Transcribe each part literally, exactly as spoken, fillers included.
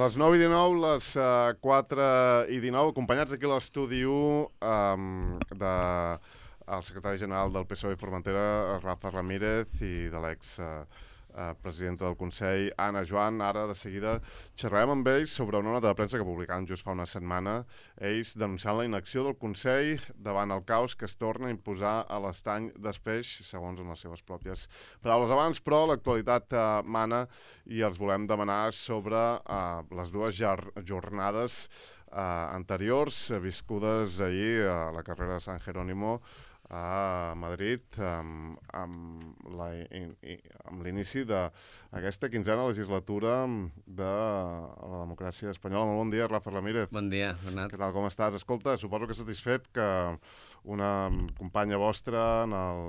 les nou i dinou, les uh, quatre i dinou, acompanyats aquí a l'estudi u um, de el secretari general del P S O E i Formentera, Rafa Ramírez, i de l'ex uh, uh, presidenta del Consell, Anna Joan. Ara, de seguida, xerrarem amb ells sobre una nota de premsa que publicaven just fa una setmana, ells denunciant la inacció del Consell davant el caos que es torna a imposar a l'estany d'Espeix, segons les seves pròpies paraules abans, però l'actualitat uh, mana i els volem demanar sobre uh, les dues jornades uh, anteriors, uh, viscudes ahir a la carrera de San Jerónimo a Madrid, amb, amb, la, in, in, amb l'inici d'aquesta quinzena legislatura de la democràcia espanyola. Molt bon dia, Rafa Ramírez. Bon dia, Bernat. Què tal, com estàs? Escolta, suposo que satisfet que una companya vostra en el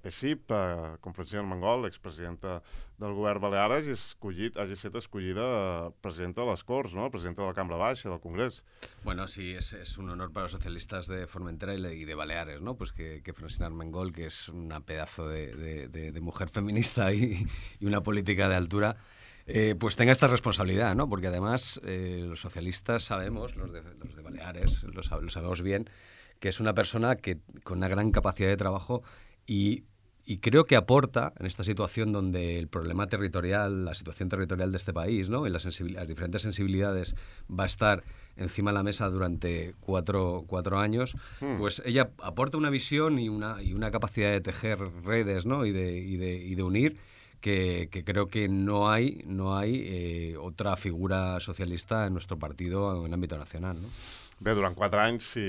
P S I P, eh, com Francina Armengol, expresidenta del govern balear, hagi, escollit, hagi estat escollida presidenta de les Corts, ¿no? Presidenta de la Cambra Baixa, del Congrés. Bueno, sí, es, es un honor para los socialistas de Formentera y de, y de Baleares, ¿no? Pues que, que Francina Armengol, que es una pedazo de, de, de, de mujer feminista y, y una política de altura, eh, pues tenga esta responsabilidad, ¿no? Porque además eh, los socialistas sabemos, los de, los de Baleares, lo, lo sabemos bien, que es una persona que con una gran capacidad de trabajo y Y creo que aporta en esta situación donde el problema territorial, la situación territorial de este país, ¿no? Y las, las diferentes sensibilidades va a estar encima de la mesa durante cuatro, cuatro años, hmm. pues ella aporta una visión y una, y una capacidad de tejer redes, ¿no? y, de, y, de, y de unir que, que creo que no hay, no hay eh, otra figura socialista en nuestro partido en ámbito nacional, ¿no? Bé, durant quatre anys, si,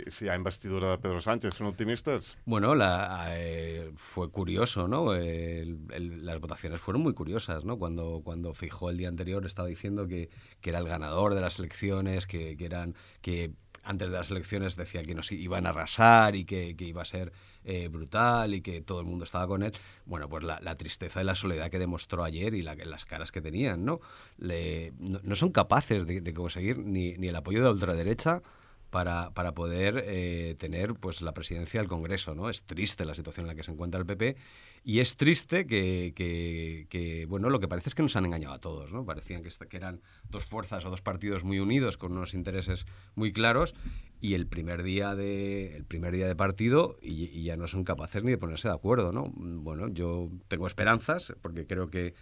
si hi ha investidura de Pedro Sánchez, ¿son optimistas? Bueno, la, eh, fue curioso, ¿no? El, el, las votaciones fueron muy curiosas, ¿no? Cuando, cuando Feijóo el día anterior estaba diciendo que, que era el ganador de las elecciones, que, que eran... que antes de las elecciones decía que nos iban a arrasar y que, que iba a ser eh, brutal y que todo el mundo estaba con él. Bueno, pues la, la tristeza y la soledad que demostró ayer y la, las caras que tenían, ¿no? Le, no, no son capaces de, de conseguir ni, ni el apoyo de la ultraderecha para, para poder eh, tener pues la presidencia del Congreso, ¿no? Es triste la situación en la que se encuentra el P P y es triste que, que, que bueno, lo que parece es que nos han engañado a todos, ¿no? Parecían que, que eran dos fuerzas o dos partidos muy unidos con unos intereses muy claros y el primer día de, el primer día de partido y, y ya no son capaces ni de ponerse de acuerdo, ¿no? Bueno, yo tengo esperanzas porque creo que,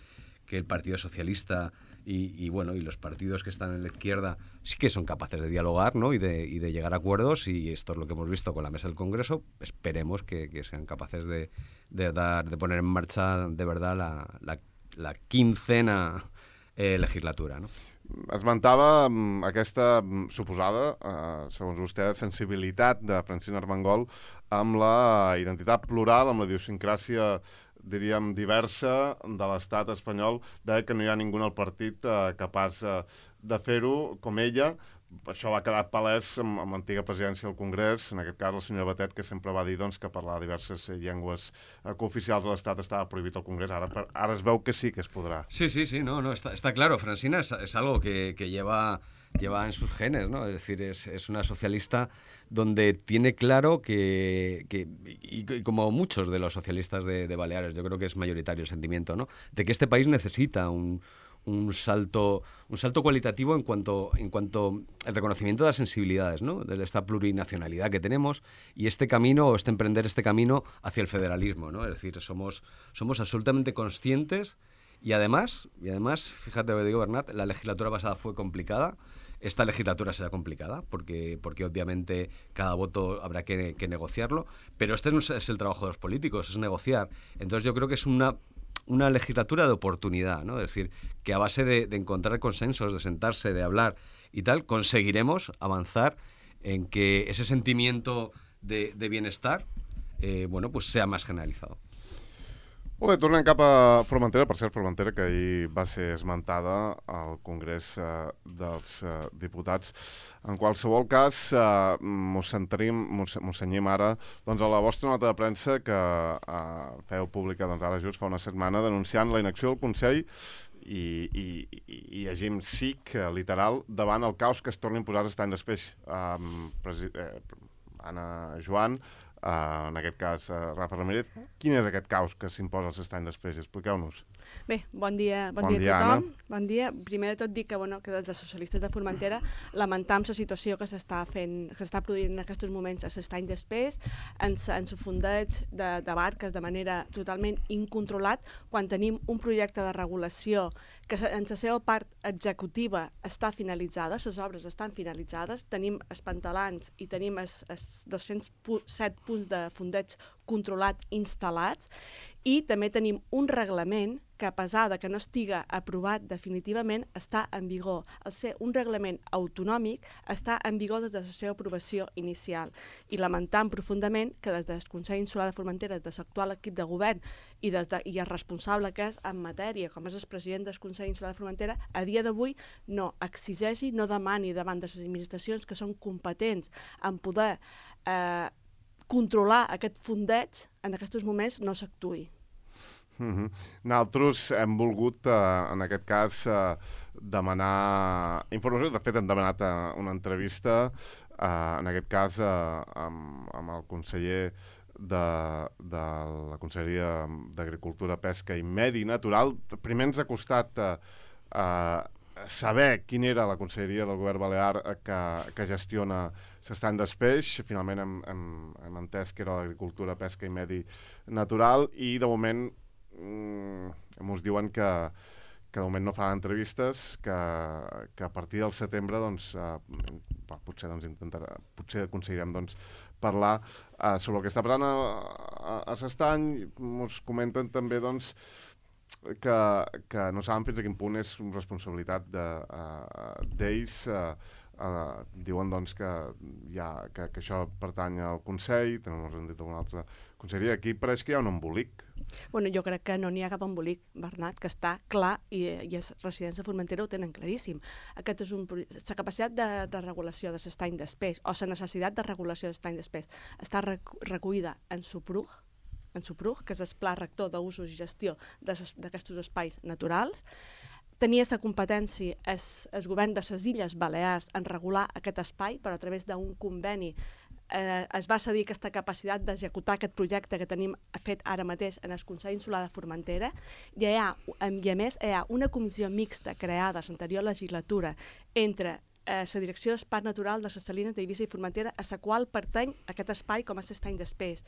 que el Partido Socialista Y, y bueno, y los partidos que están en la izquierda sí que son capaces de dialogar, ¿no? y, de, y de llegar a acuerdos, y esto es lo que hemos visto con la mesa del Congreso. Esperemos que, que sean capaces de, de, dar, de poner en marcha de verdad la, la, la quincena eh, legislatura, ¿no? Esmentava aquesta suposada, eh, segons vostè, sensibilitat de Francina Armengol amb la identitat plural, amb la idiosincràsia, diríem, diversa de l'estat espanyol, de que no hi ha ningú al partit eh, capaç eh, de fer-ho com ella. Això va quedar palès amb, amb l'antiga presidència del Congrés, en aquest cas la senyora Batet, que sempre va dir doncs, que parlar diverses llengües eh, cooficials de l'Estat estava prohibit al Congrés. Ara, per, ara es veu que sí que es podrà. Sí, sí, sí, no, no, está, está claro. Francina es, es algo que, que lleva... lleva en sus genes, ¿no? Es decir, es, es una socialista donde tiene claro que, que y, y como muchos de los socialistas de, de Baleares, yo creo que es mayoritario el sentimiento, ¿no? De que este país necesita un, un salto un salto cualitativo en cuanto en cuanto al reconocimiento de las sensibilidades, ¿no? De esta plurinacionalidad que tenemos y este camino, o este emprender este camino hacia el federalismo, ¿no? Es decir, somos, somos absolutamente conscientes. Y además, y además, fíjate lo que digo, Bernat, la legislatura pasada fue complicada, esta legislatura será complicada, porque, porque obviamente cada voto habrá que, que negociarlo, pero este no es el trabajo de los políticos, es negociar. Entonces yo creo que es una, una legislatura de oportunidad, ¿no? Es decir, que a base de, de encontrar consensos, de sentarse, de hablar y tal, conseguiremos avanzar en que ese sentimiento de, de bienestar eh, bueno, pues sea más generalizado. Molt bé, tornem cap a Formentera, per cert, Formentera, que ahir va ser esmentada al Congrés eh, dels eh, Diputats. En qualsevol cas, eh, mos centrim, mos, mos cenyim ara doncs, a la vostra nota de premsa que eh, feu pública doncs, ara just fa una setmana denunciant la inacció del Consell i, i, i, i llegim sic, eh, literal, davant el caos que es torna a imposar l'estany d'Espeix. Eh, eh, Anna Joan, Uh, en aquest cas, uh, Rafa Ramírez, quin és aquest caos que s'imposa als estany d'Espeix? Expliqueu-nos. Bé, bon dia, bon, Bon dia dia, a tothom. Anna. Bon dia. Primer de tot dic que, bueno, que des dels socialistes de Formentera lamentam la situació que s'està fent, que s'està produint en aquests moments a l'estany d'Espés, en el fondeig de, de barques de manera totalment incontrolat, quan tenim un projecte de regulació que en la seva part executiva està finalitzada, les obres estan finalitzades, tenim els pantalans i tenim els, els dos-cents set punts de fondeig controlat instal·lats, i també tenim un reglament que, a pesar de que no estiga aprovat definitivament, està en vigor. Al ser un reglament autonòmic, està en vigor des de la seva aprovació inicial. I lamentam profundament que des del Consell Insular de Formentera, des de l'actual equip de govern i, des de, i el responsable que és en matèria, com és el president del Consell Insular de Formentera, a dia d'avui no exigeixi, no demani davant de les administracions que són competents en poder eh, controlar aquest fondeig, en aquests moments no s'actuï. Mm-hmm. Nosaltres hem volgut, eh, en aquest cas, eh, demanar informació. De fet, hem demanat eh, una entrevista, eh, en aquest cas, eh, amb, amb el conseller de, de la Conselleria d'Agricultura, Pesca i Medi Natural. Primer ens ha costat eh, eh, saber quina era la conselleria del govern balear que, que gestiona l'estany d'Espeix. Finalment hem, hem, hem entès que era l'Agricultura, Pesca i Medi Natural, i de moment mm, ens diuen que, que de moment no faran entrevistes, que, que a partir del setembre doncs, eh, potser, doncs, intentarà, potser aconseguirem doncs, parlar eh, sobre el que està passant a, a, a l'estany. Ens comenten també doncs, que, que no saben fins a quin punt és responsabilitat d'ells. De, uh, uh, diuen doncs, que, ja, que, que això pertany al Consell, també ens han dit alguna altra conselleria. Aquí pareix que hi ha un embolic. Bueno, jo crec que no n'hi ha cap embolic, Bernat, que està clar, i, i els residents de Formentera ho tenen claríssim. Aquest és un, la capacitat de, de regulació de l'estany d'Espés, o la necessitat de regulació de l'estany d'Espés, està recollida en SUPRUG, en SUPRUG, que és el Pla Rector d'Usos i Gestió d'aquests espais naturals. Tenia la competència el, el govern de les Illes Balears en regular aquest espai, però a través d'un conveni eh, es va cedir aquesta capacitat d'executar aquest projecte que tenim fet ara mateix en el Consell Insular de Formentera, i, ha, i a més hi ha una comissió mixta creada a l'anterior legislatura entre la eh, Direcció del Parc Natural de les Salines d'Eivissa i Formentera, a la qual pertany aquest espai com a l'estany d'Espés,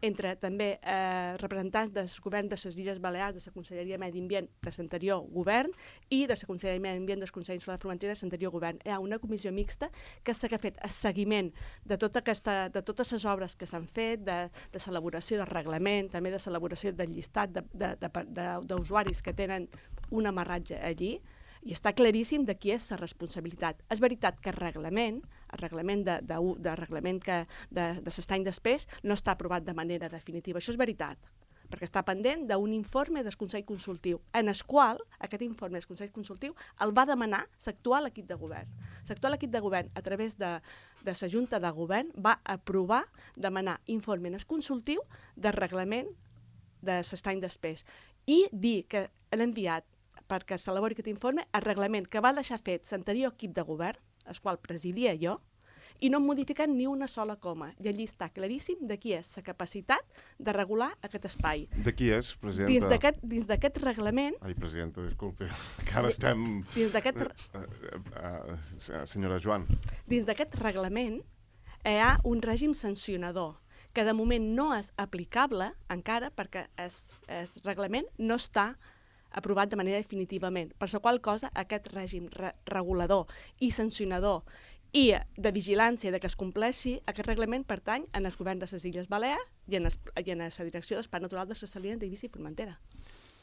entre també eh, representants del govern de les Illes Balears, de la Conselleria de Medi Ambient de l'anterior govern i de la Conselleria de Medi Ambient del Consell Insular de Formentera de l'anterior govern. Hi ha una comissió mixta que s'ha fet el seguiment de, tota aquesta, de totes les obres que s'han fet, de, de l'elaboració del reglament, també de l'elaboració del llistat d'usuaris que tenen un amarratge allí, i està claríssim de qui és la responsabilitat. És veritat que el reglament, el reglament de, de, de, reglament que, de, de l'estany d'Espés no està aprovat de manera definitiva. Això és veritat, perquè està pendent d'un informe del Consell Consultiu, en el qual aquest informe del Consell Consultiu el va demanar l'actual equip de govern. L'actual equip de govern, a través de, de la Junta de Govern, va aprovar demanar informe en el consultiu del reglament de l'estany d'Espés i dir que l'ha enviat perquè s'elabori aquest informe, el reglament que va deixar fet l'anterior equip de govern, el qual presidia jo, i no modificant ni una sola coma. I allí està claríssim de qui és la capacitat de regular aquest espai. De qui és, presidenta? Dins d'aquest reglament... Ai, presidenta, disculpi, que ara estem... Dins d'aquest... Uh, uh, uh, senyora Joan. Dins d'aquest reglament hi ha un règim sancionador, que de moment no és aplicable encara perquè el reglament no està aprovat de manera definitivament, per la qual cosa aquest règim re regulador i sancionador i de vigilància de que es compleixi aquest reglament pertany en el govern de les Illes Balears i en, es, i en la Direcció del Parc Natural de les Salines d'Eivissa i Formentera.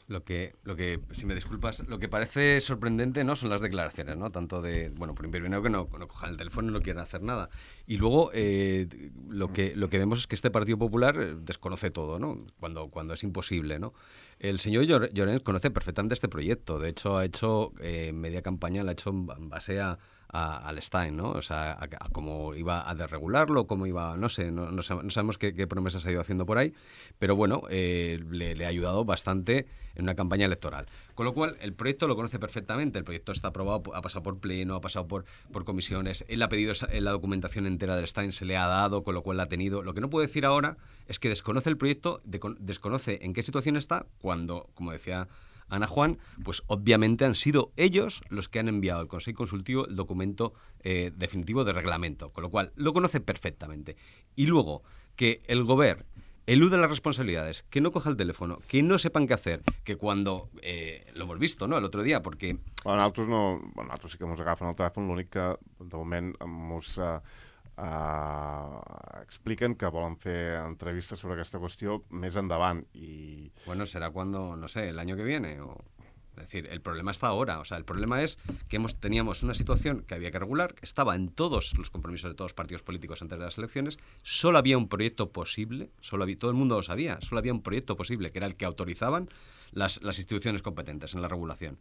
Lo que, lo que, si me disculpas, lo que parece sorprendente, ¿no?, son las declaraciones, ¿no? Tanto de, bueno, primero que no, no cojan el teléfono y no quieran hacer nada. Y luego eh, lo, que, lo que vemos es que este Partido Popular desconoce todo, ¿no? Cuando, cuando es imposible, ¿no? El señor Llorens conoce perfectamente este proyecto. De hecho, ha hecho eh, media campaña, la ha hecho en base a, a, al Stein, ¿no? O sea, a, a cómo iba a desregularlo, cómo iba, no sé, no, no sabemos qué, qué promesas ha ido haciendo por ahí, pero bueno, eh, le, le ha ayudado bastante en una campaña electoral. Con lo cual, el proyecto lo conoce perfectamente, el proyecto está aprobado, ha pasado por pleno, ha pasado por, por comisiones, él ha pedido esa, la documentación entera del Stein, se le ha dado, con lo cual la ha tenido. Lo que no puede decir ahora es que desconoce el proyecto, de, desconoce en qué situación está, cuando, como decía Ana Juan, pues obviamente han sido ellos los que han enviado al Consejo Consultivo el documento eh, definitivo de reglamento, con lo cual lo conoce perfectamente. Y luego, que el Govern elude las responsabilidades, que no coja el teléfono, que no sepan qué hacer, que cuando, eh, lo hemos visto, no?, el otro día, porque... Bueno, nosaltres, no, bueno, nosaltres sí que ens agafen el telèfon, l'únic que, de moment, ens uh, uh, expliquen que volen fer entrevistes sobre aquesta qüestió més endavant. I... Bueno, será cuando, no sé, el año que viene, o... Es decir, el problema está ahora. O sea, el problema es que hemos, teníamos una situación que había que regular, que estaba en todos los compromisos de todos los partidos políticos antes de las elecciones. Solo había un proyecto posible, solo había, todo el mundo lo sabía, solo había un proyecto posible, que era el que autorizaban las, las instituciones competentes en la regulación.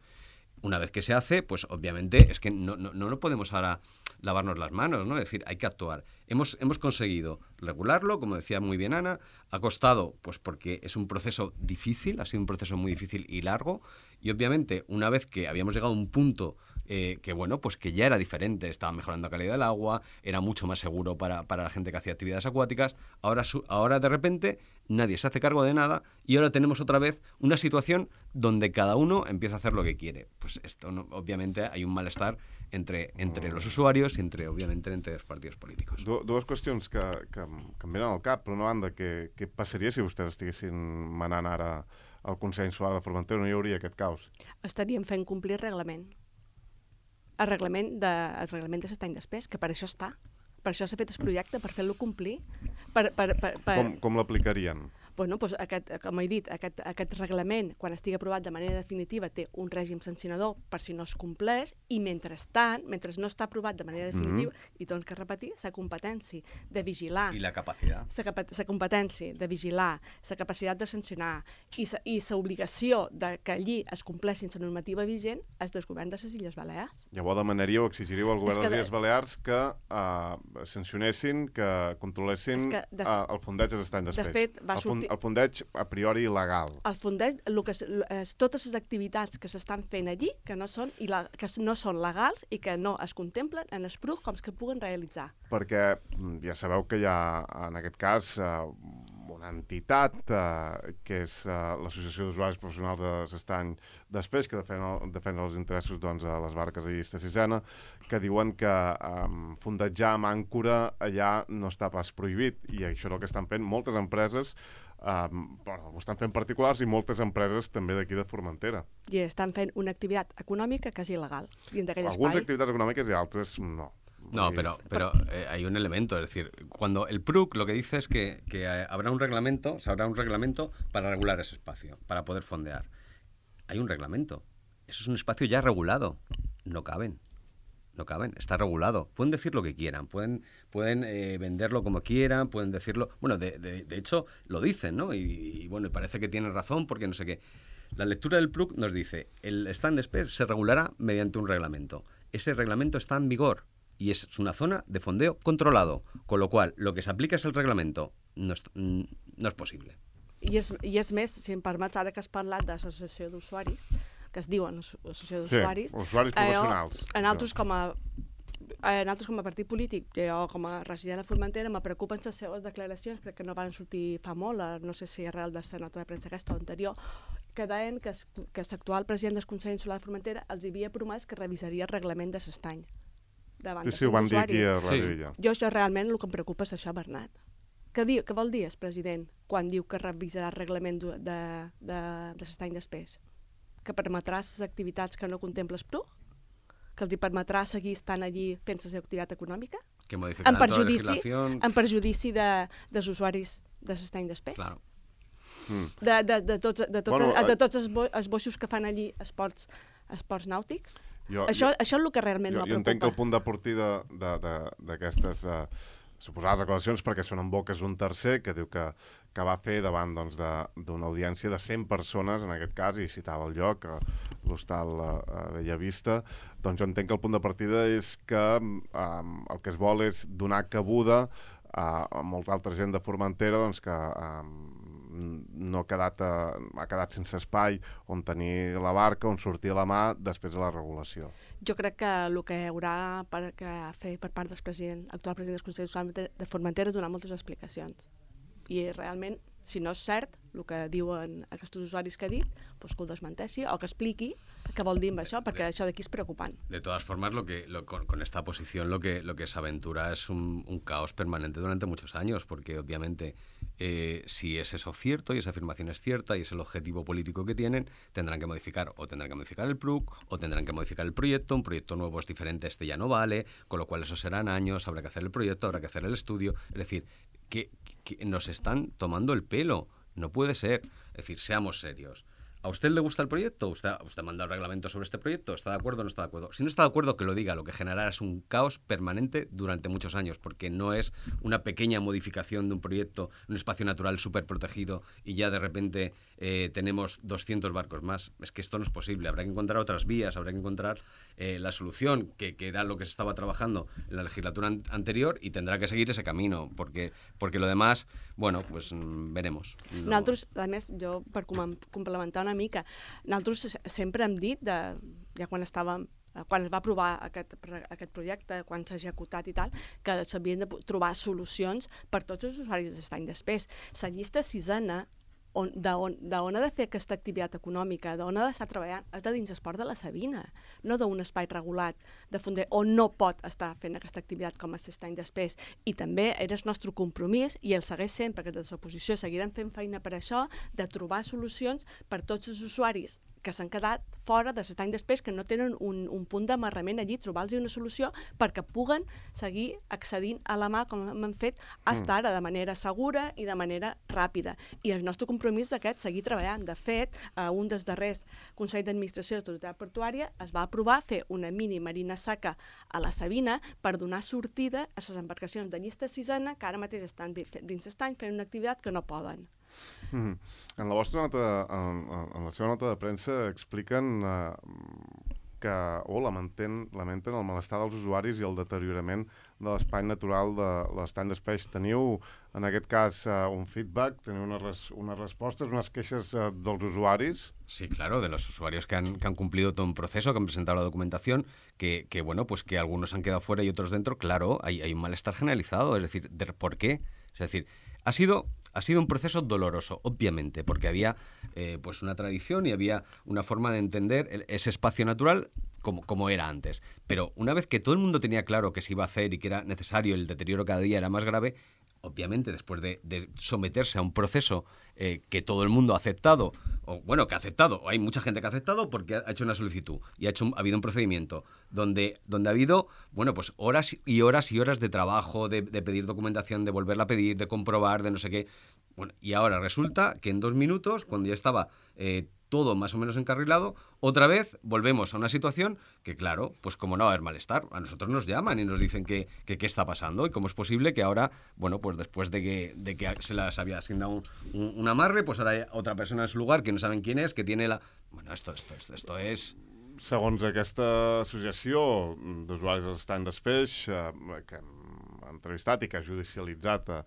Una vez que se hace, pues obviamente es que no, no, no podemos ahora lavarnos las manos, ¿no? Es decir, hay que actuar. Hemos, hemos conseguido regularlo, como decía muy bien Ana, ha costado, pues porque es un proceso difícil, ha sido un proceso muy difícil y largo, y obviamente una vez que habíamos llegado a un punto eh, que, bueno, pues que ya era diferente, estaba mejorando la calidad del agua, era mucho más seguro para, para la gente que hacía actividades acuáticas, ahora, su, ahora de repente nadie se hace cargo de nada y ahora tenemos otra vez una situación donde cada uno empieza a hacer lo que quiere. Pues esto, no, obviamente, hay un malestar entre, entre los usuarios i entre, obviamente, entre els partits polítics. Du dues qüestions que, que, que em venen al cap. Per una banda, què, què passaria si vostès estiguessin manant ara al Consell Insular de Formentera? No hi hauria aquest caos? Estaríem fent complir el reglament. El reglament de, el reglament de l'estany d'espès, que per això està. Per això s'ha fet el projecte, per fer-lo complir. Per, per, per, per... Com, com l'aplicarien? Bueno, doncs aquest, com he dit, aquest, aquest reglament, quan estigui aprovat de manera definitiva, té un règim sancionador per si no es compleix, i mentrestant, mentre no està aprovat de manera definitiva, mm-hmm. i doncs que repetir, la competència de vigilar... I la capacitat. La competència de vigilar, la capacitat de sancionar i la obligació de que allí es compleixin la normativa vigent és del govern de les Illes Balears. Llavors demanaríeu, exigiríeu al govern de les Illes Balears que uh, sancionessin, que controlessin que de, uh, el fondeig de l'estany d'espès. De fet, va sortir... El fondeig a priori il·legal. El fondeig, el que, es, totes les activitats que s'estan fent allí, que no són, que no són legals i que no es contemplen en el P R U C com que puguen realitzar. Perquè ja sabeu que hi ha, en aquest cas, una entitat eh, que és eh, l'Associació d'Usuaris Professionals de l'Estany d'Espès, que defenen, defenen els interessos doncs, a les barques de llista sisena, que diuen que eh, fondejar amb àncora allà no està pas prohibit, i això és el que estan fent moltes empreses, eh, bueno, ho estan fent particulars i moltes empreses també d'aquí de Formentera. I estan fent una activitat econòmica que és il·legal dins d'aquell espai. Algunes activitats econòmiques i altres no. No, pero, pero eh, hay un elemento, es decir, cuando el P R U C lo que dice es que, que habrá un reglamento, o sea, habrá un reglamento para regular ese espacio, para poder fondear. Hay un reglamento. Eso es un espacio ya regulado. No caben. No caben. Está regulado. Pueden decir lo que quieran, pueden, pueden eh, venderlo como quieran, pueden decirlo... Bueno, de, de, de hecho, lo dicen, ¿no? Y, y bueno, parece que tienen razón porque no sé qué. La lectura del P R U C nos dice, el stand de Espés se regulará mediante un reglamento. Ese reglamento está en vigor. Y es una zona de fondeo controlado, con lo cual lo que se aplica es el reglamento. No es, no es possible. I és, I és més, si em permets, ara que has parlat de l'associació d'usuaris, que es diuen associació d'usuaris... Sí, usuaris professionals. Eh, en altres com a... En altres com a partit polític, jo com a resident a Formentera, me preocupen les seves declaracions, perquè no van sortir fa molt, no sé si arrel de la nota de premsa aquesta o anterior, que deien que, que l'actual president del Consell Insular de Formentera els havia promès que revisaria el reglament de l'estany. Sí, sí, ho van dir aquí a Ràdio Illa. Jo això realment el que em preocupa és això, Bernat. Què, diu, què vol dir el president quan diu que revisarà el reglament de, de, de, de l'estany d'Espés? Que permetrà les activitats que no contempla el P R U? Que els hi permetrà seguir estant allí fent la seva activitat econòmica? Que modificarà tota la legislació... En perjudici de, dels usuaris de l'estany d'Espés? Claro. Mm. De, de, de tots, de tots, bueno, de tots els, bo, els boixos que fan allí esports, esports nàutics? Jo, això, jo, això és el que realment jo, me preocupa. Jo entenc que el punt de partida d'aquestes uh, suposades declaracions, perquè són en boques un tercer que diu que, que va fer davant doncs, d'una doncs, audiència de cent persones, en aquest cas, i citava el lloc, l'hostal uh, Bellavista, doncs jo entenc que el punt de partida és que um, el que es vol és donar cabuda a, a molta altra gent de Formentera doncs, que um, no ha quedat, ha quedat sense espai on tenir la barca, on sortir la mà després de la regulació. Jo crec que el que haurà per, que fer per part del president, actual president del Consell de Formentera és donar moltes explicacions. I realment, si no és cert el que diuen aquests usuaris que ha dit, pues que ho desmenteixi o que expliqui què vol dir amb això, perquè això d'aquí és preocupant. De todas formas, lo que, lo, con, con esta posición lo que, lo que se aventura es un, un caos permanente durante muchos años, porque obviamente eh, si es eso cierto y esa afirmación es cierta y es el objetivo político que tienen, tendrán que modificar o tendrán que modificar el P R U C o tendrán que modificar el proyecto, un proyecto nuevo es diferente, este ya no vale, con lo cual eso serán años, habrá que hacer el proyecto, habrá que hacer el estudio, es decir, que, que nos están tomando el pelo. No puede ser. Es decir, seamos serios. ¿A usted le gusta el proyecto? ¿Usted, usted manda el reglamento sobre este proyecto? ¿Está de acuerdo o no está de acuerdo? Si no está de acuerdo, que lo diga. Lo que generará es un caos permanente durante muchos años, porque no es una pequeña modificación de un proyecto, un espacio natural súper protegido y ya de repente eh, tenemos doscientos barcos más. Es que esto no es posible. Habrá que encontrar otras vías, habrá que encontrar eh, la solución, que, que era lo que se estaba trabajando en la legislatura an- anterior y tendrá que seguir ese camino, porque, porque lo demás, bueno, pues mm, veremos. No... Nosaltres, a més, jo per com- complementar una mica, nosaltres sempre hem dit, de, ja quan estàvem quan es va aprovar aquest, aquest projecte, quan s'ha executat i tal, que s'havien de trobar solucions per tots els usuaris d'estany després. La llista sisena, on, d'on, d'on ha de fer aquesta activitat econòmica, d'on ha d'estar treballant, és de dins el port de la Sabina, no d'un espai regulat de fonder on no pot estar fent aquesta activitat com a s'estany després. I també era el nostre compromís, i el segueix sent, perquè des de l'oposició seguirem fent feina per això, de trobar solucions per tots els usuaris que s'han quedat fora de l'estany després, que no tenen un, un punt d'amarrament allí, trobar-los una solució perquè puguen seguir accedint a la mà, com hem fet fins mm. ara, de manera segura i de manera ràpida. I el nostre compromís és aquest, seguir treballant. De fet, a un dels darrers Consell d'Administració de l'Autoritat Portuària es va aprovar fer una mini marina seca a la Sabina per donar sortida a les embarcacions de llista sisena que ara mateix estan dins l'estany fent una activitat que no poden. Mm-hmm. En la vostra nota, en, en la seva nota de premsa expliquen eh, que o lamenten, lamenten el malestar dels usuaris i el deteriorament de l'espai natural de l'estany d'Espeix. Teniu, en aquest cas, eh, un feedback, teniu unes, res, unes respostes, unes queixes eh, dels usuaris? Sí, claro, de los usuarios que han, que han cumplido todo un proceso, que han presentado la documentación, que, que bueno, pues que algunos han quedado fuera y otros dentro. Claro, hay, hay un malestar generalizado, es decir, de, ¿por qué? Es decir, ha sido... Ha sido un proceso doloroso, obviamente, porque había eh, pues una tradición y había una forma de entender el, ese espacio natural como, como era antes. Pero una vez que todo el mundo tenía claro que se iba a hacer y que era necesario, el deterioro cada día era más grave, obviamente, después de, de someterse a un proceso eh, que todo el mundo ha aceptado, o bueno, que ha aceptado, o hay mucha gente que ha aceptado porque ha hecho una solicitud y ha, hecho un, ha habido un procedimiento donde, donde ha habido, bueno, pues horas y horas y horas de trabajo, de, de pedir documentación, de volverla a pedir, de comprobar, de no sé qué. Bueno, y ahora resulta que en dos minutos, cuando ya estaba eh, todo más o menos encarrilado, otra vez volvemos a una situación que, claro, pues como no va a haber malestar, a nosotros nos llaman y nos dicen que qué que está pasando y cómo es posible que ahora, bueno, pues después de que, de que se les había asignado un, un, un amarre, pues ahora hay otra persona en su lugar que no saben quién es, que tiene la... Bueno, esto, esto, esto, esto es... Segons aquesta associació d'usuaris de l'estany d'Espeix, eh, que hem entrevistat i que ha judicialitzat eh,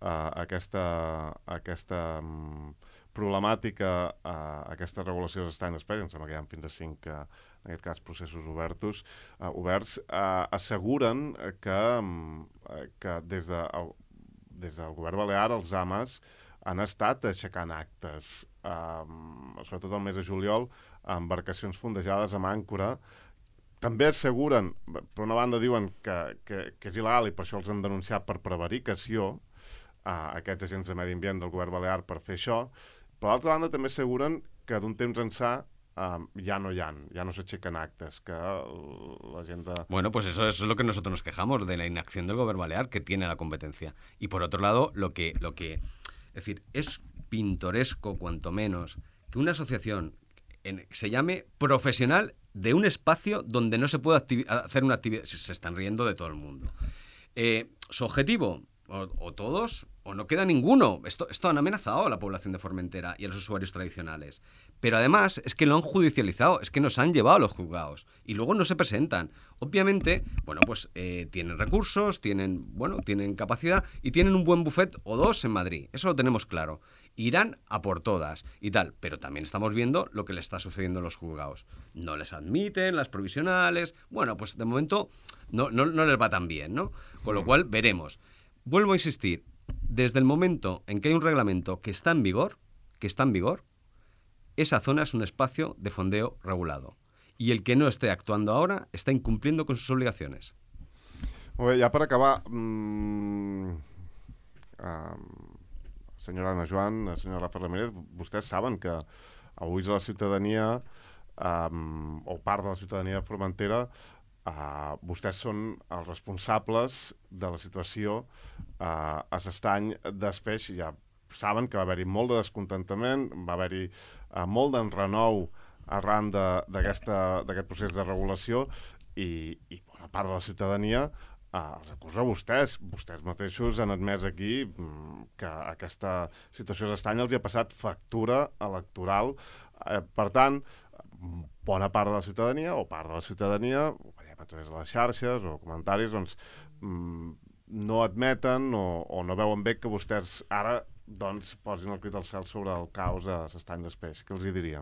aquesta, aquesta um, problemàtica, uh, aquesta regulació de l'estany d'Espeix, em sembla que hi ha fins a cinc, uh, en aquest cas, processos obertos, uh, oberts, uh, asseguren que, um, que des, de, el, des del govern balear els A M As han estat aixecant actes, um, sobretot el mes de juliol, embarcacions fondejades amb àncora. També asseguren, per una banda diuen que, que, que és il·legal i per això els han denunciat per prevaricació, a aquests agents de medi ambient del govern balear per fer això. Per l'altra banda també asseguren que d'un temps ençà um, ja no hi ha, ja no s'aixequen actes, que la gent de... Bueno, pues eso, eso es lo que nosotros nos quejamos, de la inacción del gobierno balear, que tiene la competencia. Y por otro lado, lo que, lo que... Es decir, es pintoresco, cuanto menos, que una asociación en, se llame profesional de un espacio donde no se puede activi- hacer una actividad... Se, se están riendo de todo el mundo. Eh, su objetivo... O, o todos, o no queda ninguno. Esto, esto han amenazado a la población de Formentera y a los usuarios tradicionales. Pero además es que lo han judicializado, es que nos han llevado a los juzgados y luego no se presentan. Obviamente, bueno, pues eh, tienen recursos, tienen, bueno, tienen capacidad y tienen un buen buffet o dos en Madrid. Eso lo tenemos claro. Irán a por todas y tal, pero también estamos viendo lo que le está sucediendo en los juzgados. No les admiten las provisionales. Bueno, pues de momento no, no, no les va tan bien, ¿no? Con lo cual veremos. Vuelvo a insistir, desde el momento en que hay un reglamento que está en vigor, que está en vigor, esa zona es un espacio de fondeo regulado. Y el que no esté actuando ahora está incumpliendo con sus obligaciones. Molt bé, ja per acabar, mmm, uh, senyora Anna Joan, senyora Rafa Ramírez, vostès saben que avui la ciutadania, um, o part de la ciutadania de Formentera, uh, vostès són els responsables de la situació uh, a l'estany d'Espeix. Ja saben que va haver-hi molt de descontentament, va haver-hi uh, molt d'enrenou arran d'aquest procés de regulació i, i bona part de la ciutadania Uh, els acusa a vostès. Vostès mateixos han admès aquí mm, que aquesta situació d'estany els hi ha passat factura electoral. Uh, per tant, bona part de la ciutadania, o part de la ciutadania, ho veiem a través de les xarxes o comentaris, doncs mm, no admeten o, o no veuen bé que vostès ara doncs, posin el crit al cel sobre el caos de l'estany d'Espeix. Què els hi diria?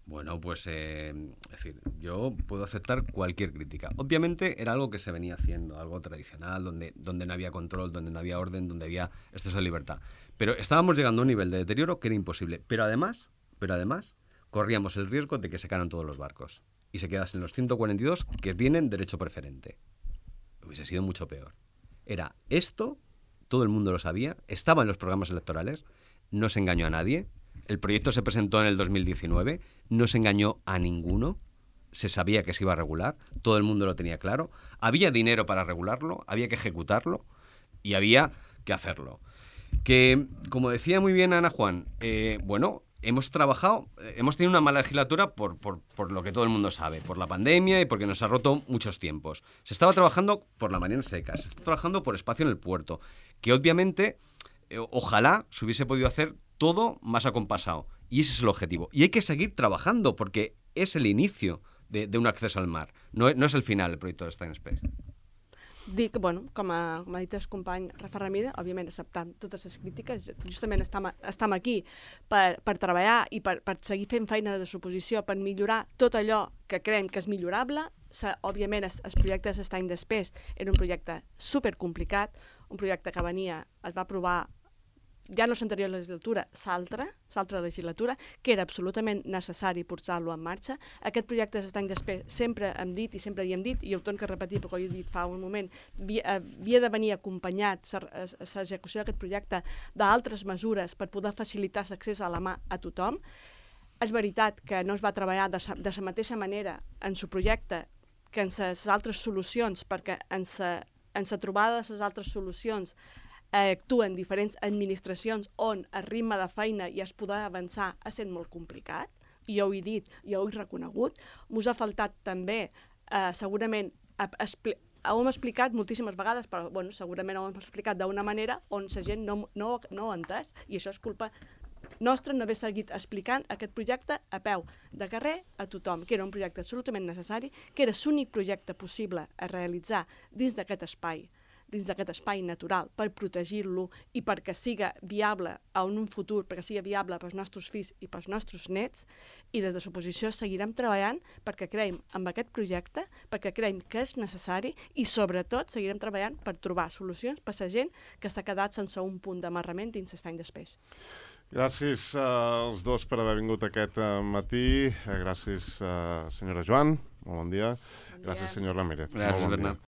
Bueno, pues, eh, es decir, yo puedo aceptar cualquier crítica. Obviamente era algo que se venía haciendo, algo tradicional, donde, donde no había control, donde no había orden, donde había exceso de libertad. Pero estábamos llegando a un nivel de deterioro que era imposible. Pero además, pero además, corríamos el riesgo de que se caeran todos los barcos y se quedasen los ciento cuarenta y dos que tienen derecho preferente. Hubiese sido mucho peor. Era esto, todo el mundo lo sabía, estaba en los programas electorales, no se engañó a nadie. El proyecto se presentó en el dos mil diecinueve, no se engañó a ninguno, se sabía que se iba a regular, todo el mundo lo tenía claro, había dinero para regularlo, había que ejecutarlo y había que hacerlo. Que, como decía muy bien Ana Juan, eh, bueno, hemos trabajado, eh, hemos tenido una mala legislatura por, por, por lo que todo el mundo sabe, por la pandemia y porque nos ha roto muchos tiempos. Se estaba trabajando por la Marina Seca, se está trabajando por espacio en el puerto, que obviamente, eh, ojalá se hubiese podido hacer todo más acompasado. Y ese es el objetivo. Y hay que seguir trabajando porque es el inicio de, de un acceso al mar. No, no es el final el proyecto de Estany Space. Dic, bueno, com a, com ha dit el company Rafa Ramírez, òbviament acceptant totes les crítiques, justament estem, estem aquí per, per treballar i per, per seguir fent feina de suposició, per millorar tot allò que creiem que és millorable. Se, òbviament, el, el projecte de l'Estany d'Espeix era un projecte supercomplicat, un projecte que venia, es va aprovar ja no l'anterior legislatura, l'altra, l'altra legislatura, que era absolutament necessari posar-lo en marxa. Aquest projecte d'Estany d'Espeix sempre hem dit i sempre hi hem dit, i ho torno a repetir perquè ho he dit fa un moment, havia, havia de venir acompanyat l'execució d'aquest projecte d'altres mesures per poder facilitar l'accés a la mà a tothom. És veritat que no es va treballar de la mateixa manera en el projecte que en les altres solucions, perquè en la trobada de les altres solucions Eh, actuen diferents administracions on el ritme de feina i es poder avançar ha estat molt complicat, i jo ho he dit, jo ho he reconegut. M'us ha faltat també, eh, segurament, ho hem explicat moltíssimes vegades, però bueno, segurament ho hem explicat d'una manera on la gent no, no, no ho ha entès, i això és culpa nostra no haver seguit explicant aquest projecte a peu de carrer a tothom, que era un projecte absolutament necessari, que era l'únic projecte possible a realitzar dins d'aquest espai, dins d'aquest espai natural, per protegir-lo i perquè siga viable en un futur, perquè siga viable pels nostres fills i pels nostres nets, i des de l'oposició seguirem treballant perquè creiem en aquest projecte, perquè creiem que és necessari i sobretot seguirem treballant per trobar solucions per a la gent que s'ha quedat sense un punt d'amarrament dins l'Estany d'Espeix. Gràcies uh, als dos per haver vingut aquest uh, matí. Uh, gràcies, uh, senyora Joan. Molt bon dia. Bon dia. Gràcies, senyor Ramírez. Gràcies, bon Bernat.